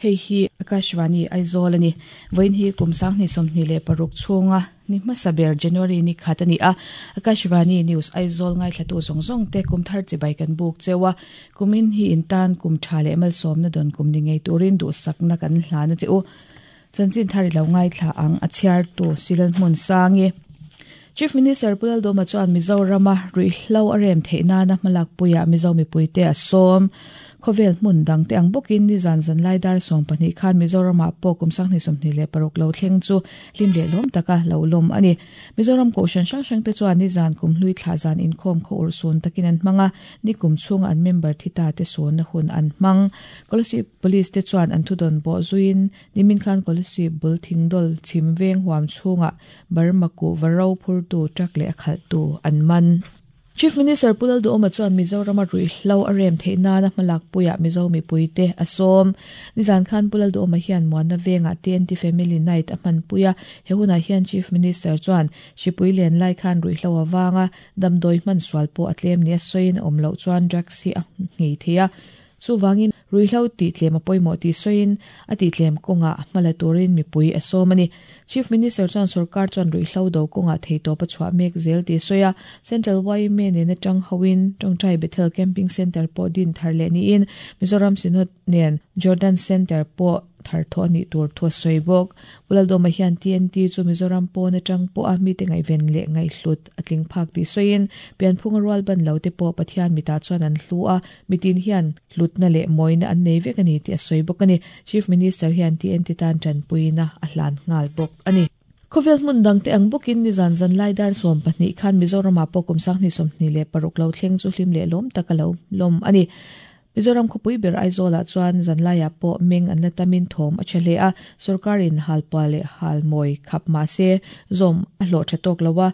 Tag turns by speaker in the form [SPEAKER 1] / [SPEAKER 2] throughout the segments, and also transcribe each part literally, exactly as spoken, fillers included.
[SPEAKER 1] Hei hi Akashvani Aizawl ani voin hi kumsang ni somni le paruk chunga ni hmasaber January ni khat ani a Akashvani News Aizawl ngai thlatu zong zong te kumthar chibai kan buk chewa kumin hi intan kum tha le mal som na don kum ni ngei turin du sakna kan hlana cheu chanchin thari lo ngai thla ang achiar tu silan hmun sangi Chief Minister Pulal Doma chuan Mizorama ruihhlo a rem theihna na hmalak puia Mizo mipuite a sawm khovel hmun dang te ang bawkin ni zan zan lai dar sawm pahnih khan Mizorama pawh kum sanghnih sawmhnih leh paruk lo thleng chu hlim leh lawm taka lo lawm ani Mizoram kohhran hrang hrang te chuan ni zan kum hlui thla zan inkhawm khaw ur sun takin an hmanga ni kum chhunga an member thita te sawn na hun an hmang Kolasib Police te chuan an thudawn bawh zuin nimin khan Kolasib bul thingdol chhim veng huam chhunga Burma ku varo phur tu truck leh a khalh tu an man Chief Minister Pulal Duhoma chuan Mizorama ruihhlo a rem theihna na hmalak puia Mizo mipuite a sawm nizan khan Pulal Duhoma hian muanna venga T N T Family Night a hman puia he hunah hian Chief Minister chuan hripui len lai khan ruihhlo awanga damdawi hman sual pawh a tlem ni a sawiin a awm loh chuan drugs hi a nghei thei a chuwangin ruihhlo tih tlem a pawimawh tih sawiin a tih tlem kawnga hmala turin mipui a sawm ani Chief Minister chuan sarkar chuan ruihhlo do kawnga theitawp a chhuah mek zel tih sawi a Central Y M A nen atang hoin Tawngtai Bethel Camping Center pawh din thar leh niin Mizoram Synod nen Jordan Center pawh thar thaw ani tur thu sawi bawk Pulal Doma hian T N T chu Mizoram pawn atang pawh a mi te ngaihven leh ngaihhlut a tling phak tih sawiin pianphung a rual ban lo te pawh Pathian mita chuan an hlu a mitin hian hlutna leh mawina an nei vek ani tih a sawi bawk ani Chief Minister hian T N T tan tanpuina a hlan nghal bawk ani Khovel hmun dang te ang bawkin ni zan zan lai dar sawm pahnih khan Mizorama pawh kum sanghnih sawmhnih leh paruk lo thleng chu hlim leh lawm taka lo lawm ani Mizoram khawpui ber Aizawlah chuan zanlaiah pawh meng an la tamin thawm a tha hle a sarkarin halpa leh halmawi khap ma se zawm a hlawh tha tawk lo a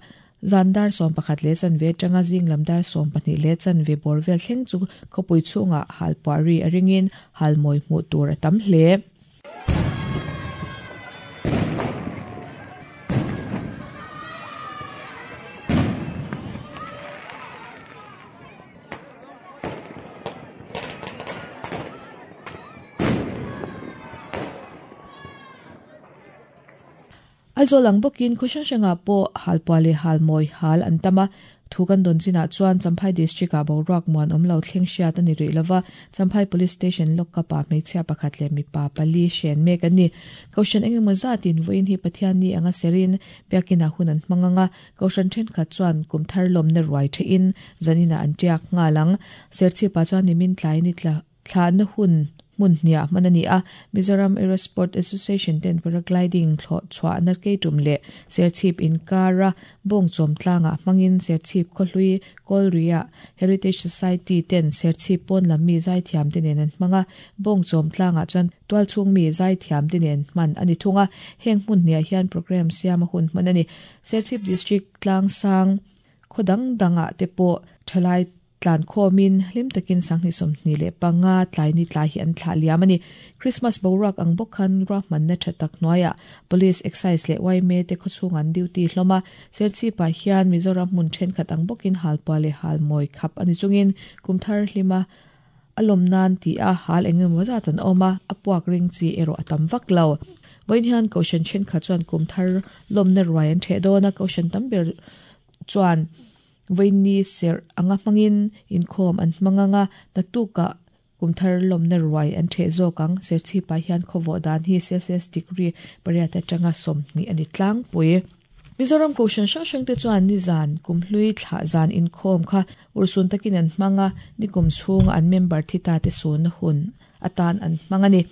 [SPEAKER 1] zan dar sawm pakhat leh chanve atanga zing lam dar sawm pahnih leh chanve bawr vel thleng chu khawpui chhunga halpa ri a ringin halmawi hmuh tur a tam hle. Aizawl ang bawkin khaw hrang pawh halpa leh halmawi hal an tama thu kan dawn chinah chuan Champhai district ah boruak muan awm lo thleng hriat ani rih lova Champhai Police Station lawkkapa hmeichhia pakhat leh mipa pali hren mek ani kohhran engemaw zatin vawiin hi Pathian ni anga serin biakina hun an hmanganga kohhran thenkhat chuan kumthar lawmna ruai thein zanina an tiak ngalang serchhipa chuan nimin tlai ni tla thla na hun mun hnia manani a Mizoram Aerosport Association ten paragliding thlo chwa na ke tum le serchhip in kara bong chom tlanga mangin serchhip khohlui kolria Heritage Society ten serchhip pon lam mi zai thiam te nen an hmanga bong chom tlanga chuan tual chung mi zai thiam te nen man ani thunga heng mun hnia hian program siama hun manani Serchhip District tlang sang khodang danga te po thalai tlan khomin hlim takin sanghni somhni le panga tlai ni tlai hi an thla liam ani Christmas boruak ang bawk khan ra man na thatak noya police excise le Y M A te khochung an duty hloma serchi pa hian Mizoram mun then khat ang bawkin halpa le halmawi khap ani chungin kumthar hlima alom nan ti a hal engemaw zat an awma a puak ring chi ero atam vak lo voin hian kohhran then khat chuan kumthar lawmna ruai an the dawna kohhran tam ber chuan voini ser anga hmangin inkhawm an hmanganga naktuka kumthar lawmna ruai an the zawkang serchhipa hian khawvawh dan hi Celsius degree pariat atanga sawmhnih ani tlangpui Mizoram kohhran hrang hrang te chuan ni zan kumhlui thla zan inkhawm kha ursun takin an hmanga ni kum chhunga an member thita te sawn na hun atan an hmang ani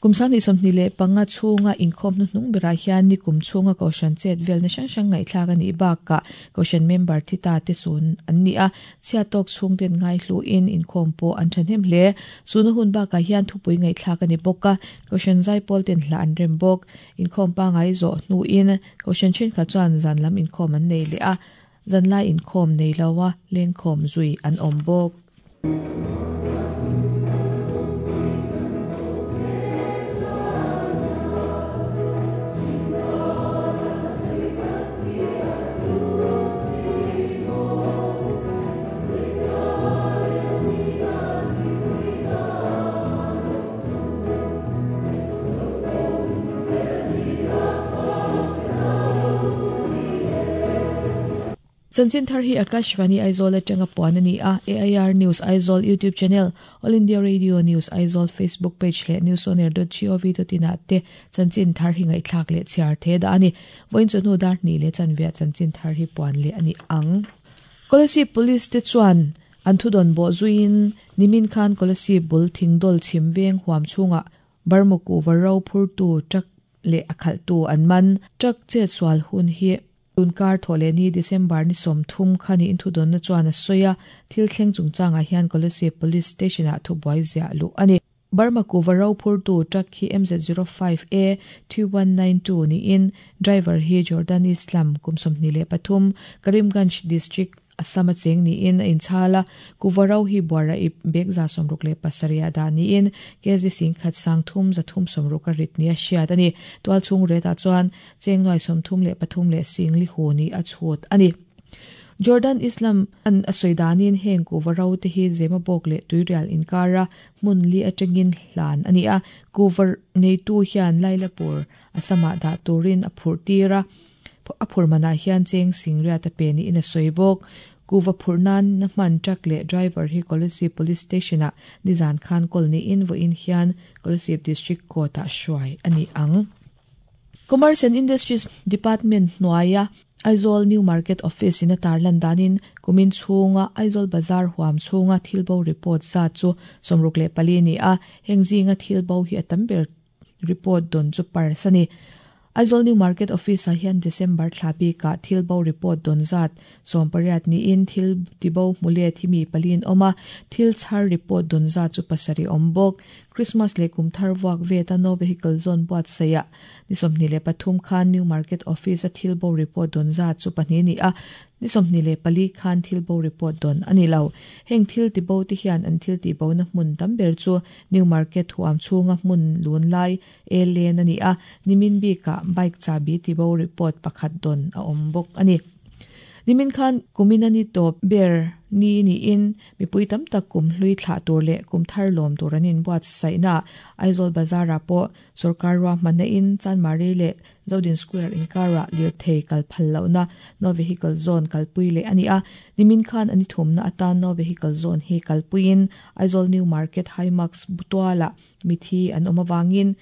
[SPEAKER 1] kumsang ni sawmhnih leh panga chhunga inkhawm hnuhnung berah hian ni kum chhunga kohhran chet vel na hrang hrang ngaihthlak ani bakah kohhran member thita te sawn an ni a chhia tawk chhung ten ngai hluin inkhawm pawh an thahnem hle suna hun bakah hian thupui ngaihthlak ani bawk a kohhran zaipawl ten hla an rem bawk inkhawm pangai zawh hnuin kohhran thenkhat chuan zan lam inkhawm an nei leh a zanlai inkhawm nei loa lengkhawm zui an awm bawk. Chanchin thar hi Akashvani Aizawl atanga puan ani a A I R News Aizawl YouTube channel, All India Radio News Aizawl Facebook page leh newsonair dot gov dot in ah te chanchin thar hi ngaihthlak leh chhiar the da ani. Voin chunu dar ni le chanvia chanchin thar hi puan le ani ang. Kolasib Police te chuan an thudon bo zuin nimin khan Kolasib bul Thingdol Chhimveng huam chunga Burma kuhva ro phurtu truck le akhal tu an man. Truck che sual hun hi tunkar thole ni December ni som thum khani in thudon na chuan a soya. Thil thleng chungchanga hian Kolasib Police Station a thu boi zia lu ani. Burma kuhva ro phurtu truck hi M Z zero five A two one nine two ni in driver hi Jordan Islam, kum sawmhnih leh pathum, Karimganj district, Assam cheng ni in in chala. Kuhva ro hi buara ip bek za somruk le pasaria da ni in kg sing khat sang thum za thum somruk a rit ni a hriat ani. Tual chung reta chuan cheng noi som thum le pathum le sing li hu ni a chhut ani. Jordan Islam an asoidanin heng kuhva ro te hi zema bok le tuirial inkara mun li atangin hlan ani a. Kuhva nei tu hian Lailapur, Asama da turin a phur tira a phur mana hian cheng singria ta pe ni in a soibok. Kuhva phurnan na hman truck le driver hi Kolasib Police Station a nizan khan kol ni in vo in hian Kolasib District Court a hruai ani ang. Commerce and Industries Department hnuaia Aizawl New Market Office in a tarlan danin kumin chhunga Aizawl Bazar huam chhunga thilbo report za chu somruk le pali ni a. Hengzinga thilbo hi atam ber report don chu parsani. Aizawl New Market Office a hian December thlabi ka thilbo report don zat sompariat ni in thil tibo mule thimi palin oma. Thil char report don zat chu pasari ombok. Christmas le kumthar wak ve ta no vehicle zone buat saya ni somni le pathum khan New Market Office a thilbo report don zat chu pahnih ni a. Ni somni le pali khan thilbo report don ani lo. Heng thil tibo ti hian an thil ti bo na hmun tam ber chu New Market huam chunga hmun lun lai e len ani a. Nimin bi ka bike chabi tibo report pakhat don a om bok ani. Nimin khan kuminani top ber ni ni in mipui tam tak kum hlui thla tur le kum thar lom tur anin buat saina Aizawl Bazara po sarkar wa mana in Chanmari le Zodin Square in kara lir thei kal phal lo na no vehicle zone kalpui le ani a. Nimin khan ani thum na atan no vehicle zone hi kalpuin Aizawl New Market Himax butwala mithi an omawangin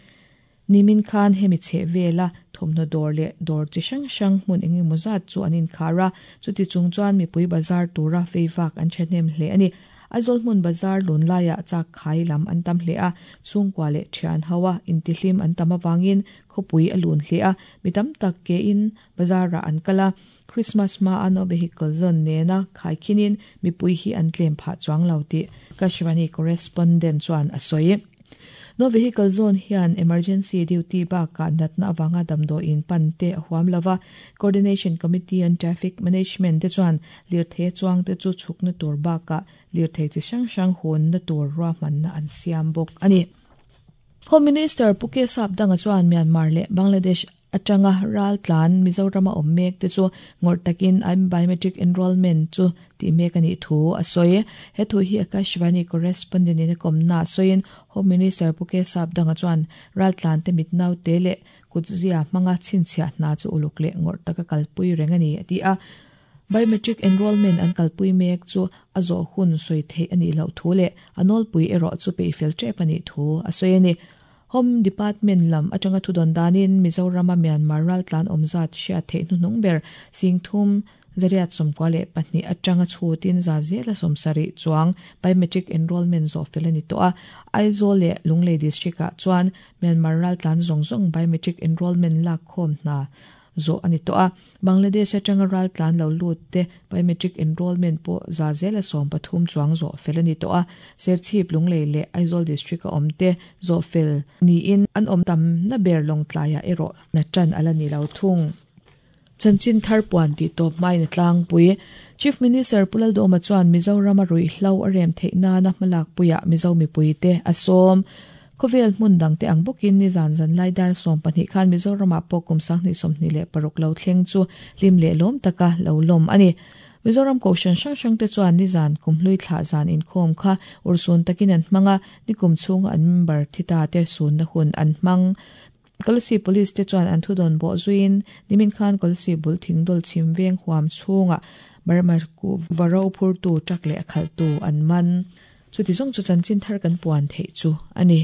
[SPEAKER 1] nimin khan hemi che vela thomno dor le dor chi hrang hrang hmun enge muzat chu anin khara. Chuti chung chuan mipui bazar tura feivak an thehnem hle ani. Aizawl hmun bazar lun laia chak khai lam an tam hle a. Chhungkua le thian hawa intihlim an tam awangin khawpui a lun hle a. Mi tam tak ke in bazara an kala. Christmas ma ano vehicle zone nena khai khinin mipui hi an tlem pha chuang lo ti Akashvani correspondent chuan a sawi. No vehicle zone hian emergency duty ba ka natna awanga damdo in pante huam lova. Coordination Committee on Traffic Management te chuan lir the chuang te chu chukna tur ba ka lir the chi hrang hrang hon na tur ra man na an siam bok ani. Home Minister Puke Sap danga chuan Myanmar le Bangladesh atanga ral tlan Mizoram a om mek te chu ngor takin I'm biometric enrollment chu ti mek ani thu a soi. He thu hi Akashvani correspondent in kom na soin. Home Minister Puke Sap danga chuan ral tlan te mit nau te le kutzia manga chinchia na chu uluk le ngor taka kalpui rengani ati a. Biometric enrollment an kalpui mek chu azo hun soi the ani lo thu le anol pui ero chu pe fel trep ani thu a soi ani. Home Department lam atanga thudon danin Mizoram Myanmar ral tlan omzat hria the hnunung ber singthum zariat somkwa le pahnih atanga chutin za zela somsari chuang biometric enrollment zo felani to a. Aizawl le Lunglei district a chuan Myanmar ral tlan zong zong biometric enrollment lak khom na zo ani to a. Bangladesh atanga ral tlan lo lut te biometric enrollment po za zela som pathum chuang zo felani to a. Serchhip, Lunglei le Aizawl district a omte zo fel ni in an om tam na ber long tlaya ero na chan ala ni lo thung. Chanchin thar puan ti top mai na tlang pui. Chief Minister Pulal Doma chuan Mizoram a rui hlo a rem theina na hmalak puya Mizo mi pui te asom. Khovel hmun dang te ang bukin ni zan zan lai dar som pahnih khan Mizoram a pokum sang ni som ni le paruk lo thleng chu lim le lom taka lo lom ani. Mizoram Kohhran hrang hrang te chuan ni zan kumhlui thla zan inkhawm kha ursun takin an hmanga. Nikum chhunga an member thita te sun na hun an hmang. Kolasib Police te chuan an thudawn bawh zuiin nimin khan Kolasib bul thingdawl chhim veng huam chhungah Burma kuhva ro phurtu truck leh a khalhtu an man. Chuti zawng chu chanchin thar kan puan theih chu a ni.